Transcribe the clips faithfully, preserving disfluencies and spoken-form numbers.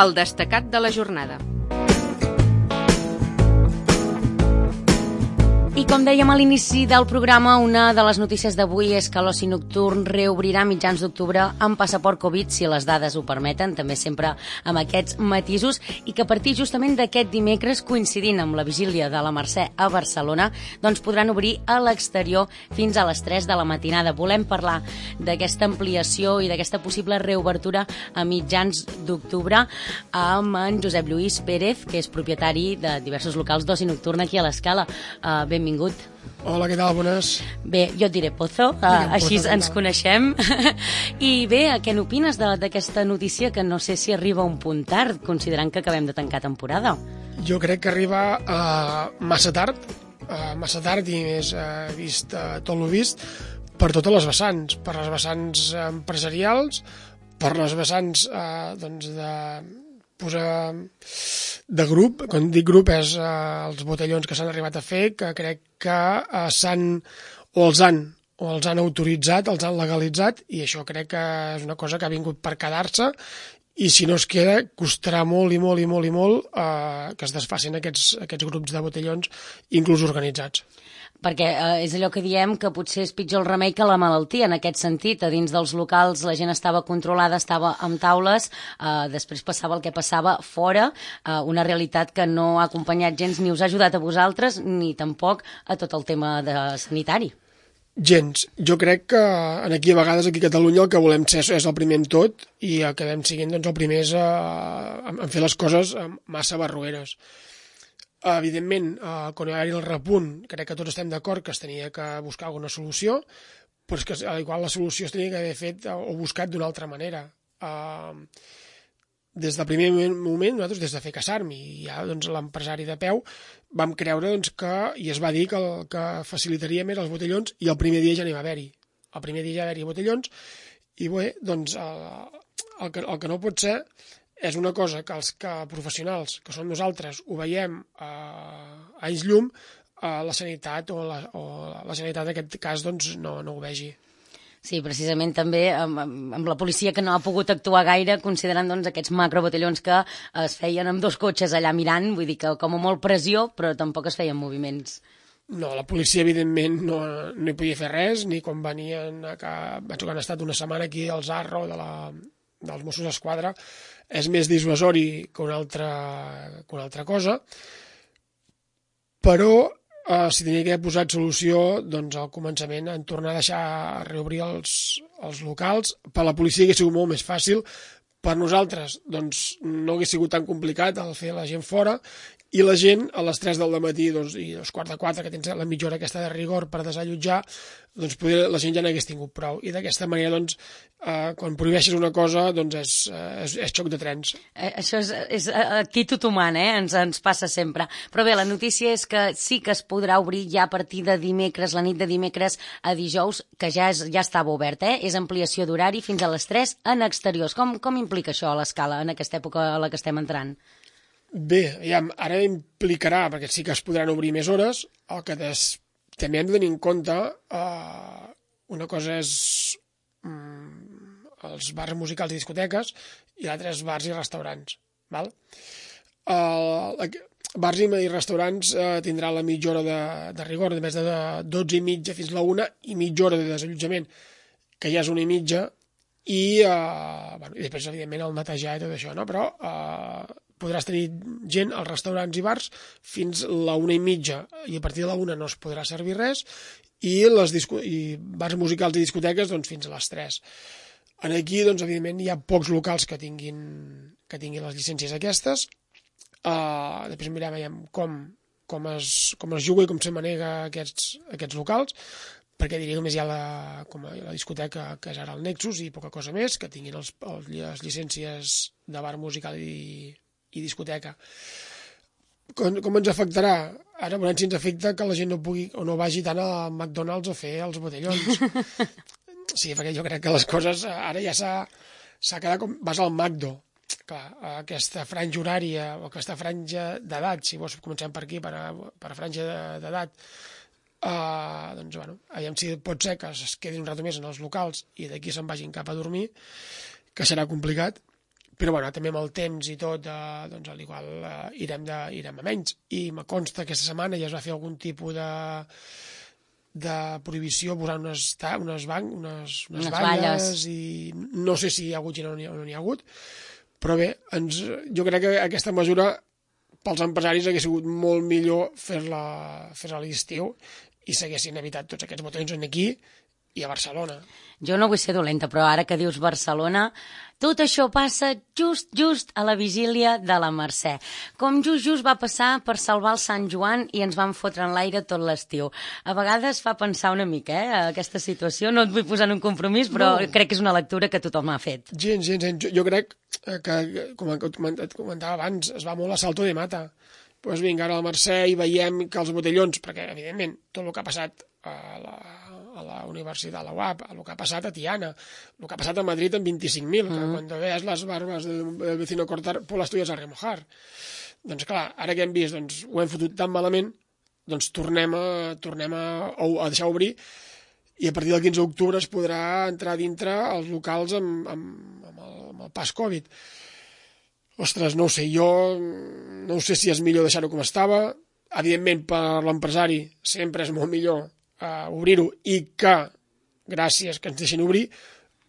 El destacat de la jornada. I com dèiem a l'inici del programa, una de les notícies d'avui és que l'oci nocturn reobrirà a mitjans d'octubre amb passaport Covid, si les dades ho permeten, també sempre amb aquests matisos, i que a partir justament d'aquest dimecres, coincidint amb la vigília de la Mercè a Barcelona, doncs podran obrir a l'exterior fins a les tres de la matinada. Volem parlar d'aquesta ampliació i d'aquesta possible reobertura a mitjans d'octubre amb en Josep Lluís Pérez, que és propietari de diversos locals d'oci nocturn aquí a l'Escala. Uh, benvingut. Hola, què tal? Bones. Bé, jo et diré Pozo, uh, així Pozo, ens coneixem. I bé, què n'opines d'aquesta notícia que no sé si arriba a un punt tard, considerant que acabem de tancar temporada? Jo crec que arriba uh, massa tard, uh, massa tard i més uh, vist uh, tot el vist per totes les vessants, per les vessants empresarials, per les vessants uh, doncs de posar de grup, quan dic grup és eh, els botellons que s'han arribat a fer, que crec que eh, s'han o els han o els han autoritzat, els han legalitzat, i això crec que és una cosa que ha vingut per quedar-se, i si no es queda, costarà molt i molt i molt i molt eh, que es desfacin aquests, aquests grups de botellons, inclús organitzats. Perquè eh, és allò que diem que potser és pitjor el remei que la malaltia, en aquest sentit. A dins dels locals la gent estava controlada, estava amb taules, eh, després passava el que passava fora, eh, una realitat que no ha acompanyat gens ni us ha ajudat a vosaltres, ni tampoc a tot el tema de sanitari. Gens. Jo crec que aquí a vegades aquí a Catalunya el que volem ser és el primer en tot i acabem siguent doncs, el primer a, a fer les coses massa barroeres. Evidentment, eh, quan hi va haver el repunt, crec que tots estem d'acord que es tenia que buscar alguna solució, però és que igual la solució es tenia que haver fet o buscat d'una altra manera. Eh, des del primer moment, nosaltres, des de fer Casarmi, i ja doncs, l'empresari de peu, vam creure doncs, que, i es va dir que el que facilitaria més els botellons, i el primer dia ja n'hi va haver-hi. El primer dia ja va haver-hi botellons, i bé, doncs, el, el, que, el que no pot ser és una cosa que els que professionals, que som nosaltres, ho veiem eh, a anys llum, eh, la sanitat o la, o la sanitat en aquest cas doncs, no, no ho vegi. Sí, precisament també amb, amb la policia que no ha pogut actuar gaire, considerant doncs, aquests macrobotellons que es feien amb dos cotxes allà mirant, vull dir que com a molt pressió, però tampoc es feien moviments. No, la policia evidentment no, no hi podia fer res, ni quan venien, que, vaig que han estat una setmana aquí al Zarro de la, dels Mossos d'Esquadra, és més dissuasori que una altra, que una altra cosa, però eh, si tenia que haver posat solució doncs al començament en tornar a deixar reobrir els, els locals. Per la policia hauria sigut molt més fàcil, per nosaltres doncs, no hauria sigut tan complicat el fer la gent fora, i la gent a les tres del matí doncs, i a les quart de quatre, que tens la mitja hora aquesta de rigor per desallotjar, doncs poder, la gent ja n'hagués tingut prou. I d'aquesta manera, doncs, eh, quan prohibeixes una cosa, doncs és, és, és xoc de trens. Eh, això és, és actitud humana, eh? ens, ens passa sempre. Però bé, la notícia és que sí que es podrà obrir ja a partir de dimecres, la nit de dimecres a dijous, que ja, és, ja estava obert, eh? És ampliació d'horari fins a les tres en exteriors. Com, com implica això a l'Escala en aquesta època a la que estem entrant? Bé, ja, ara implicarà, perquè sí que es podran obrir més hores, el que des, també hem de tenir en compte, eh, una cosa és mm, els bars musicals i discoteques, i l'altra és bars i restaurants. Val? Eh, bars i restaurants eh, tindrà la mitja hora de, de rigor, de més de dotze i mitja fins a la una, i mitja hora de desallotjament, que ja és una i mitja, i, eh, bueno, i després, evidentment, el netejar i tot això, no? Però eh, podràs tenir gent als restaurants i bars fins la una i mitja, i a partir de la una no es podrà servir res, i, les disco i bars musicals i discoteques doncs, fins a les tres. En aquí, doncs, evidentment, hi ha pocs locals que tinguin, que tinguin les llicències aquestes. Uh, després mirem com, com, es, com es juga i com se manega aquests, aquests locals, perquè diria només hi ha la, com la discoteca, que és ara el Nexus, i poca cosa més, que tinguin els, els, les llicències de bar musical i, i discoteca. Com, com ens afectarà? Ara veurem si ens afecta que la gent no pugui o no vagi tant a McDonald's a fer els botellons. Sí, perquè jo crec que les coses ara ja s'ha quedat com... Vas al Macdo, clar, aquesta franja horària o aquesta franja d'edat, si vols comencem per aquí, per a, per a franja d'edat, uh, doncs, bueno, aviam si pot ser que es quedin un rato més en els locals i d'aquí se'n vagin cap a dormir, que serà complicat, però bueno, també amb el temps i tot, eh, doncs al igual eh, irem, de, irem a menys. I me consta que aquesta setmana ja es va fer algun tipus de de prohibició, posar unes, unes, banc, unes, unes, unes valles, i no sé si hi ha hagut gent o no hi ha, no hi ha hagut, però bé, ens, jo crec que aquesta mesura pels empresaris hagués sigut molt millor fer-la fer a l'estiu i s'haguessin evitat tots aquests botellons aquí i a Barcelona. Jo no vull ser dolenta, però ara que dius Barcelona, tot això passa just, just a la vigília de la Mercè. Com just, just va passar per salvar el Sant Joan i ens van fotre en l'aire tot l'estiu. A vegades fa pensar una mica, eh, aquesta situació. No et vull posar en un compromís, però no. Crec que és una lectura que tothom ha fet. Gens, gens, gens. Jo, jo crec que, com et comentava abans, es va molt a salto de mata. Doncs vinga, ara a la Mercè i veiem que els botellons, perquè evidentment tot el que ha passat a la a la Universitat, a la U A P, el que ha passat a Tiana, el que ha passat a Madrid amb vint-i-cinc mil, mm. que quan veus les barbes del, del vecino cortar, pues las tuyas a remojar. Doncs clar, ara que hem vist, doncs, ho hem fotut tan malament, doncs tornem a, tornem a, a deixar obrir i a partir del quinze d'octubre es podrà entrar dintre els locals amb, amb, amb, el, amb el pas Covid. Ostres, no ho sé, jo no sé si és millor deixar-ho com estava. Evidentment, per l'empresari sempre és molt millor Uh, obrir-ho i que, gràcies que ens deixin obrir,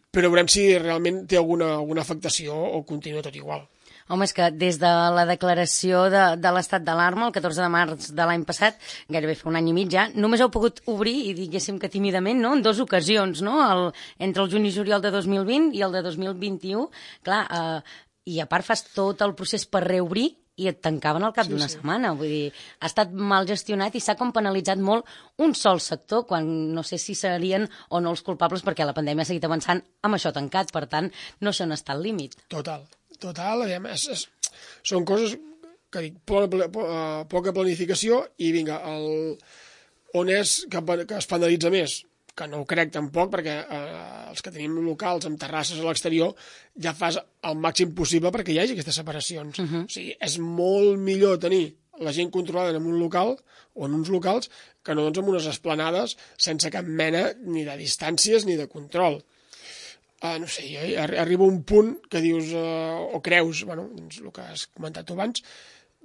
però veurem si realment té alguna, alguna afectació o continua tot igual. Home, és que des de la declaració de, de l'estat d'alarma, el catorze de març de l'any passat, gairebé fa un any i mig ja, només heu pogut obrir, i diguéssim que tímidament, no?, en dues ocasions, no?, el, entre el juny i juliol de dos mil vint i el de dos mil vint-i-u. Clar, eh, i a part fas tot el procés per reobrir, i et tancaven al cap sí, d'una sí. setmana. Vull dir, ha estat mal gestionat i s'ha com penalitzat molt un sol sector, quan no sé si serien o no els culpables, perquè la pandèmia ha seguit avançant amb això tancat. Per tant, no sé on està el límit. Total, total. És, és, són coses que dic, poca, poca planificació i vinga, el, on és que, que es penalitza més? Que no ho crec tampoc, perquè eh, els que tenim locals amb terrasses a l'exterior ja fas el màxim possible perquè hi hagi aquestes separacions. Uh-huh. O sigui, és molt millor tenir la gent controlada en un local o en uns locals que no doncs, en unes esplanades sense cap mena ni de distàncies ni de control. Uh, no sé, arriba un punt que dius, uh, o creus, bueno, doncs, el que has comentat tu abans,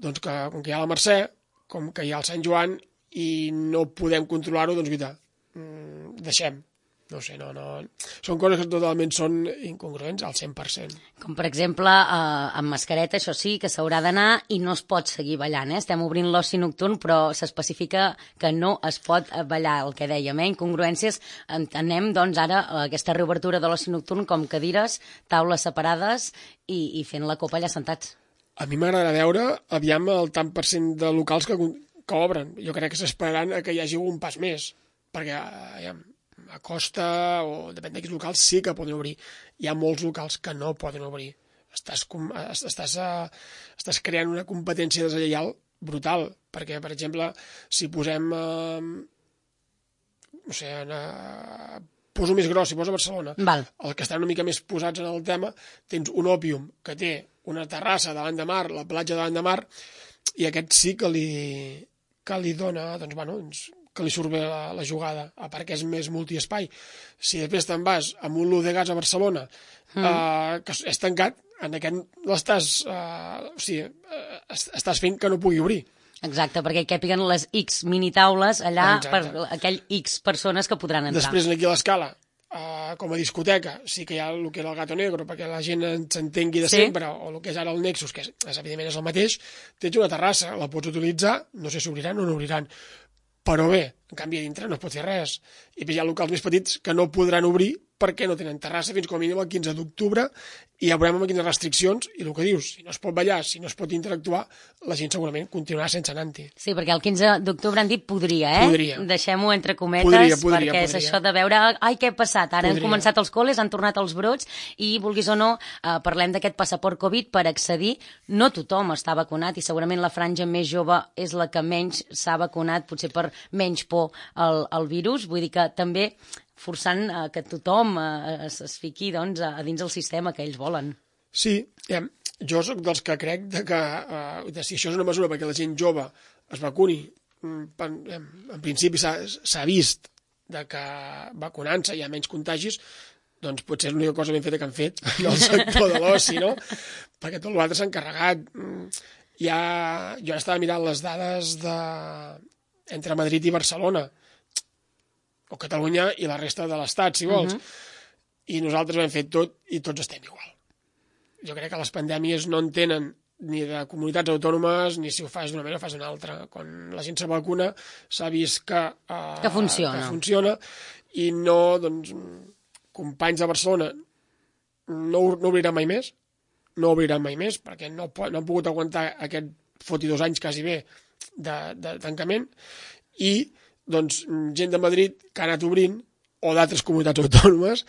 doncs que com que hi ha la Mercè, com que hi ha el Sant Joan i no podem controlar-ho, doncs, guita, deixem, no sé, no, no... Són coses que totalment són incongruents al cent per cent. Com, per exemple, eh, amb mascareta, això sí, que s'haurà d'anar i no es pot seguir ballant, eh? Estem obrint l'oci nocturn, però s'especifica que no es pot ballar, el que dèiem, eh? Incongruències, entenem, doncs, ara aquesta reobertura de l'oci nocturn com cadires, taules separades i, i fent la copa allà sentats. A mi m'agrada veure, aviam, el tant per cent de locals que, que obren. Jo crec que s'esperaran que hi hagi un pas més, perquè aviam, a Costa o depèn d'aquests locals sí que poden obrir. Hi ha molts locals que no poden obrir. Estàs, estàs, estàs creant una competència deslleial brutal, perquè, per exemple, si posem, eh, no sé, eh, poso més gros, si poso a Barcelona, Val. Els que estan una mica més posats en el tema, tens un Òpium que té una terrassa davant de mar, la platja davant de mar, i aquest sí que li, que li dona, doncs, bueno, doncs, que li surt bé la, la jugada, a part que és més multiespai. Si després te'n vas amb un Lu de Gas a Barcelona, mm. eh, que és tancat, en aquest l'estàs, eh, o sigui, eh, estàs fent que no pugui obrir. Exacte, perquè hi càpiguen les X minitaules allà Exacte. Per aquell X persones que podran entrar. Després aquí a l'Escala, eh, com a discoteca, sí que hi ha el que era el Gato Negro, perquè la gent s'entengui de sí. sempre, o el que és ara el Nexus, que és, és, evidentment és el mateix, tens una terrassa, la pots utilitzar, no sé si obriran o no obriran, però bé, en canvi a dintre no es pot fer res. I hi ha locals més petits que no podran obrir perquè no tenen terrassa fins com a mínim el quinze d'octubre i ja veurem amb quines restriccions i el que dius, si no es pot ballar, si no es pot interactuar, la gent segurament continuarà sense anar-hi. Sí, perquè el quinze d'octubre han dit podria, eh? Podria. Deixem-ho entre cometes, podria, podria, perquè podria. és això de veure, ai, què ha passat? Ara podria. Han començat els col·les, han tornat els brots i, vulguis o no, eh, parlem d'aquest passaport Covid per accedir. No tothom està vacunat i segurament la franja més jove és la que menys s'ha vacunat, potser per menys por al, al virus. Vull dir que també forçant eh, que tothom eh, es, es fiqui doncs, a, a dins del sistema que ells volen. Sí, eh, jo sóc dels que crec de que eh, de si això és una mesura perquè la gent jove es vacuni, en, en principi s'ha vist de que vacunant-se hi ha menys contagis, doncs potser és l'única cosa ben feta que han fet en el sector de l'oci, no? Perquè tot l'altre s'ha encarregat. Ja, jo estava mirant les dades de... entre Madrid i Barcelona, o Catalunya i la resta de l'Estat, si vols. Uh-huh. I nosaltres ho hem fet tot i tots estem igual. Jo crec que les pandèmies no en tenen ni de comunitats autònomes, ni si ho fas d'una manera o fas d'una altra. Quan la gent se vacuna s'ha vist que, uh, que, funciona. que funciona i no, doncs, companys de Barcelona no, no obriran mai més, no obriran mai més, perquè no, no han pogut aguantar aquest foti dos anys quasi bé de, de tancament, i doncs gent de Madrid que ha anat obrint, o d'altres comunitats autònomes,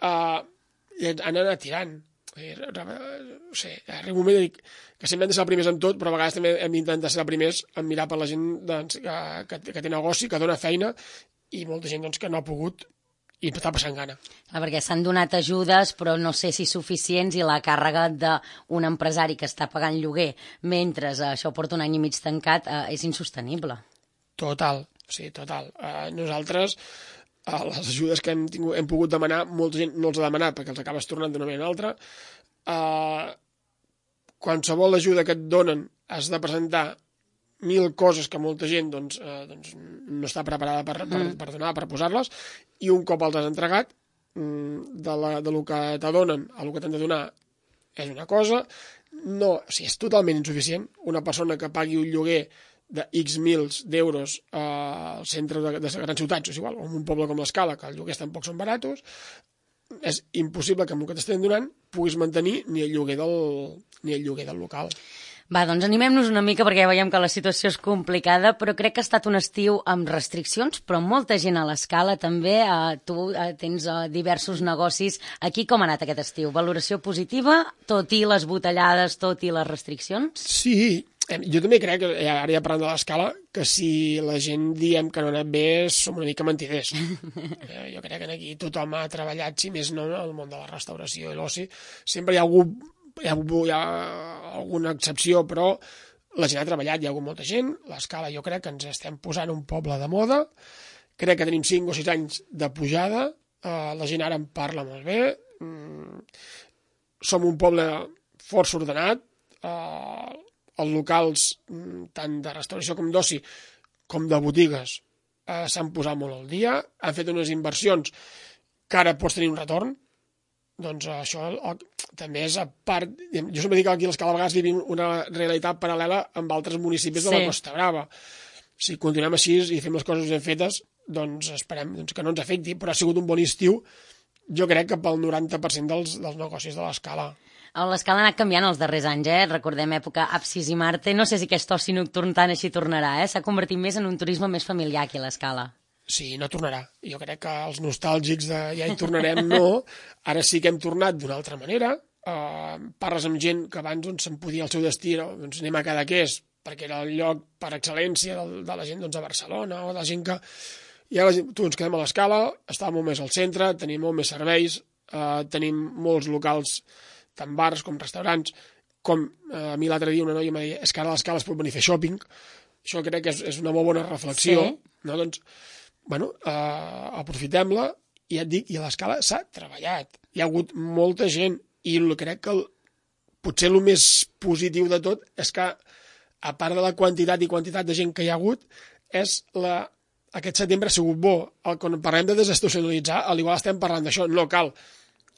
uh, han anat tirant. No sé, arriba un moment de dir que sempre hem de ser els primers en tot, però a vegades també hem d'intentar ser els primers en mirar per la gent doncs, que, que, que té negoci, que dona feina, i molta gent doncs, que no ha pogut i està passant gana. Ah, perquè s'han donat ajudes, però no sé si suficients, i la càrrega d'un empresari que està pagant lloguer mentre això porta un any i mig tancat eh, és insostenible. Total, sí, total. Uh, nosaltres... Uh, les ajudes que hem, tingut, hem pogut demanar, molta gent no els ha demanat perquè els acabes tornant d'una manera o altra. Uh, qualsevol ajuda que et donen has de presentar mil coses que molta gent doncs, uh, doncs, no està preparada per, per, per donar, per posar-les, i un cop els has entregat, de, la, de lo que t'adonen a lo que t'han de donar és una cosa, no, o sigui, és totalment insuficient. Una persona que pagui un lloguer de X mils d'euros al centre de, de grans ciutats, o és igual, o en un poble com l'Escala, que els lloguers tampoc són baratos, és impossible que amb el que t'estem donant puguis mantenir ni el lloguer del, ni el lloguer del local. Va, doncs animem-nos una mica perquè ja veiem que la situació és complicada, però crec que ha estat un estiu amb restriccions, però molta gent a l'Escala també. Eh, tu eh, tens eh, diversos negocis. Aquí com ha anat aquest estiu? Valoració positiva, tot i les botellades, tot i les restriccions? Sí, jo també crec, ara ja parlant de l'Escala, que si la gent diem que no ha anat bé som una mica mentiders. Jo crec que aquí tothom ha treballat, si més no, en el món de la restauració i l'oci. Sempre hi ha, algú, hi, ha, hi ha alguna excepció, però la gent ha treballat, hi ha hagut molta gent. L'Escala jo crec que ens estem posant un poble de moda. Crec que tenim cinc o sis anys de pujada. La gent ara en parla molt bé. Som un poble força ordenat. Els locals, tant de restauració com d'oci, com de botigues, eh, s'han posat molt al dia, han fet unes inversions que ara pots tenir un retorn, doncs això el, també és a part... Jo sempre dic que aquí a l'Escala a vegades vivim una realitat paral·lela amb altres municipis de la sí. Costa Brava. Si continuem així i fem les coses ben fetes, doncs esperem doncs, que no ens afecti, però ha sigut un bon estiu, jo crec que pel noranta per cent dels, dels negocis de l'Escala. L'Escala ha anat canviant els darrers anys, eh? Recordem època Apsis i Marte. No sé si aquest oci nocturn tant així tornarà, eh? S'ha convertit més en un turisme més familiar aquí a l'Escala. Sí, no tornarà. Jo crec que els nostàlgics de ja hi tornarem, no. Ara sí que hem tornat d'una altra manera. Uh, parles amb gent que abans doncs, se'n podia el seu destí, doncs anem a Cadaqués, perquè era el lloc per excel·lència de, de la gent doncs, a Barcelona, o de la gent que... I ara tu ens quedem a l'Escala, està molt més al centre, tenim molt més serveis, uh, tenim molts locals, tant bars com restaurants, com eh, a mi l'altre dia una noia em deia és que ara a l'Escala es pot venir a fer shopping. Això crec que és, és una molt bona reflexió. Sí. No? Doncs, bueno, eh, aprofitem-la, i ja et dic, i a l'Escala s'ha treballat. Hi ha hagut molta gent, i crec que el, potser el més positiu de tot és que, a part de la quantitat i quantitat de gent que hi ha hagut, és la... aquest setembre ha sigut bo. El, quan parlem de desestacionalitzar, al igual estem parlant d'això, no cal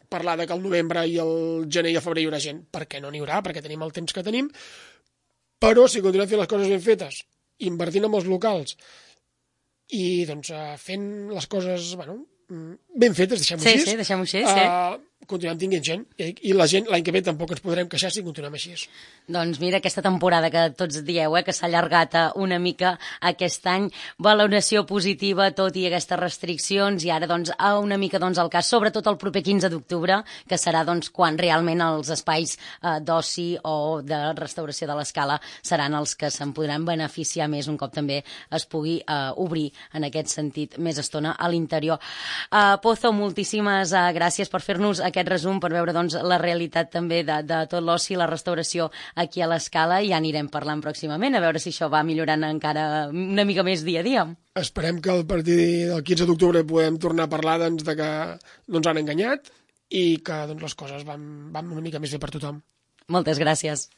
parlar de que el novembre i el gener i el febrer hi haurà gent, perquè no n'hi haurà, perquè tenim el temps que tenim, però si continuem fent les coses ben fetes, invertint en els locals i doncs fent les coses, bueno, ben fetes, deixem-ho sí, així, sí, deixem-ho així, sí. Uh, continuem tinguent gent, i, i la gent l'any que ve tampoc ens podrem queixar si continuem així. Doncs mira, aquesta temporada que tots dieu, eh, que s'ha allargat una mica aquest any, valoració positiva, tot i aquestes restriccions, i ara doncs una mica doncs el cas, sobretot el proper quinze d'octubre, que serà doncs quan realment els espais eh, d'oci o de restauració de l'Escala seran els que se'n podran beneficiar més un cop també es pugui eh, obrir en aquest sentit més estona a l'interior. Uh, Pozo, moltíssimes uh, gràcies per fer-nos aquest aquest resum per veure doncs, la realitat també de, de tot l'oci i la restauració aquí a l'Escala, i ja anirem parlant pròximament, a veure si això va millorant encara una mica més dia a dia. Esperem que a partir del quinze d'octubre podem tornar a parlar doncs, de que no ens han enganyat i que doncs, les coses van, van una mica més bé per tothom. Moltes gràcies.